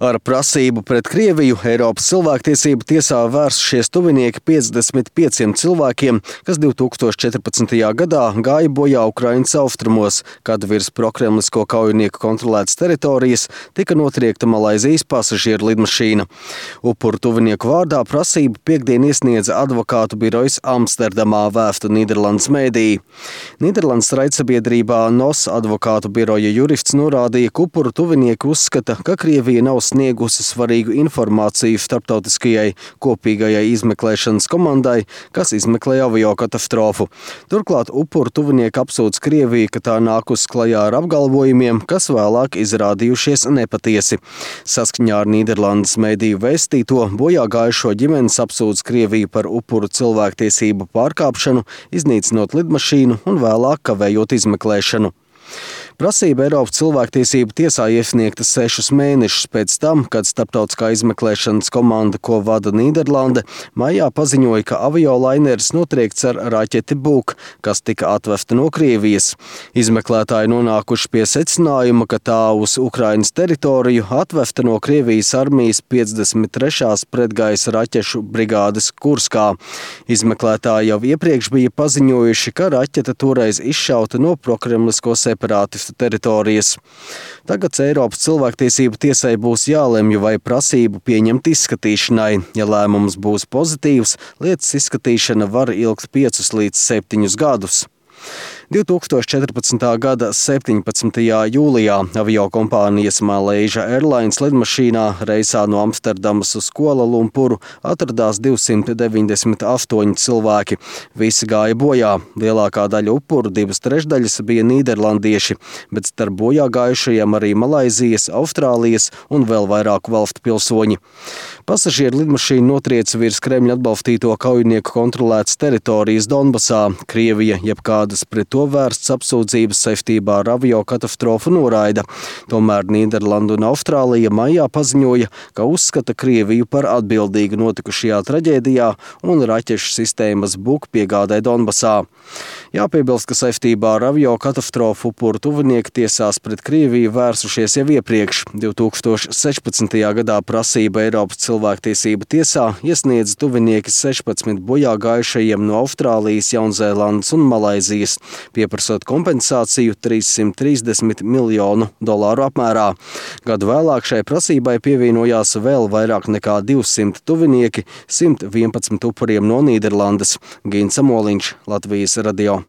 Ar prasību pret Krieviju Eiropas cilvēktiesību tiesā vērsušies tuvinieki 55 cilvēkiem, kas 2014. gadā gāja bojā Ukrainas austrumos, kad virs prokremlisko kaujinieku kontrolētas teritorijas tika notriekta Malaizijas pasažieru lidmašīna. Upuru tuvinieku vārdā prasību piektdien iesniedza advokātu birojas Amsterdamā, vēsta Nīderlandes mēdīji. Nīderlandes raidsabiedrībā NOS advokātu biroja jurists norādīja, ka upuru tuvinieki uzskata, ka Krievija nav sniegusi svarīgu informāciju starptautiskajai kopīgajai izmeklēšanas komandai, kas izmeklēja aviokatastrofu. Turklāt upuru tuvinieki apsūdz Krieviju, ka tā nākus klajā ar apgalvojumiem, kas vēlāk izrādījušies nepatiesi. Saskaņā ar Nīderlandes mēdīju vēstīto, bojā gājušo ģimenes apsūdz Krieviju par upuru cilvēktiesību pārkāpšanu, iznīcinot lidmašīnu un vēlāk kavējot izmeklēšanu. Prasība Eiropas cilvēktiesību tiesā iesniegta 6 mēnešus pēc tam, kad starptautiskā izmeklēšanas komanda, ko vada Nīderlande, maijā paziņoja, ka aviolaineris notriekts ar raķeti Buk, kas tika atvesta no Krievijas. Izmeklētāji nonākuši pie secinājuma, ka tā uz Ukrainas teritoriju atvesta no Krievijas armijas 53. pretgaisa raķešu brigādes Kurskā. Izmeklētāji jau iepriekš bija paziņojuši, ka raķete toreiz izšauta no prokremlisko separātistu teritorijas. Tagad Eiropas cilvēktiesību tiesai būs jālemj, vai prasību pieņemt izskatīšanai. Ja lēmums būs pozitīvs, lietas izskatīšana var ilgt 5 līdz 7 gadus. 2014. gada 17. jūlijā aviokompānijas Malaysia Airlines lidmašīnā reisā no Amsterdamas uz Kuala Lumpuru atradās 298 cilvēki. Visi gāja bojā. Lielākā daļa upuru, 2/3 bija nīderlandieši, bet starp bojā gājušajiem arī Malaizijas, Austrālijas un vēl vairāku valstu pilsoņi. Pasažieru lidmašīna notrieca virs Kremļa atbalstīto kaujinieku kontrolētas teritorijas Donbasā. Krievija jebkādas pret to vērsts apsūdzības saistībā ar aviokatastrofu noraida. Tomēr Nīderlanda un Austrālija maijā paziņoja, ka uzskata Krieviju par atbildīgu notikušajā traģēdijā un raķešu sistēmas Buk piegādē Donbasā. Jāpiebilst, ka saistībā ar aviokatastrofu upuru tuvinieki tiesās pret Krieviju vērsušies jau iepriekš. 2016. gadā prasība Eiropas cilvēktiesību tiesā iesniedza tuvinieki 16 bojā gājušajiem no Austrālijas, Jaunzēlandes un Malaizijas, pieprasot kompensāciju $330 miljonu apmērā. Gadu vēlāk šai prasībai pievienojās vēl vairāk nekā 200 tuvinieki, 111 upuriem no Nīderlandes. Gins Amoliņš, Latvijas radio.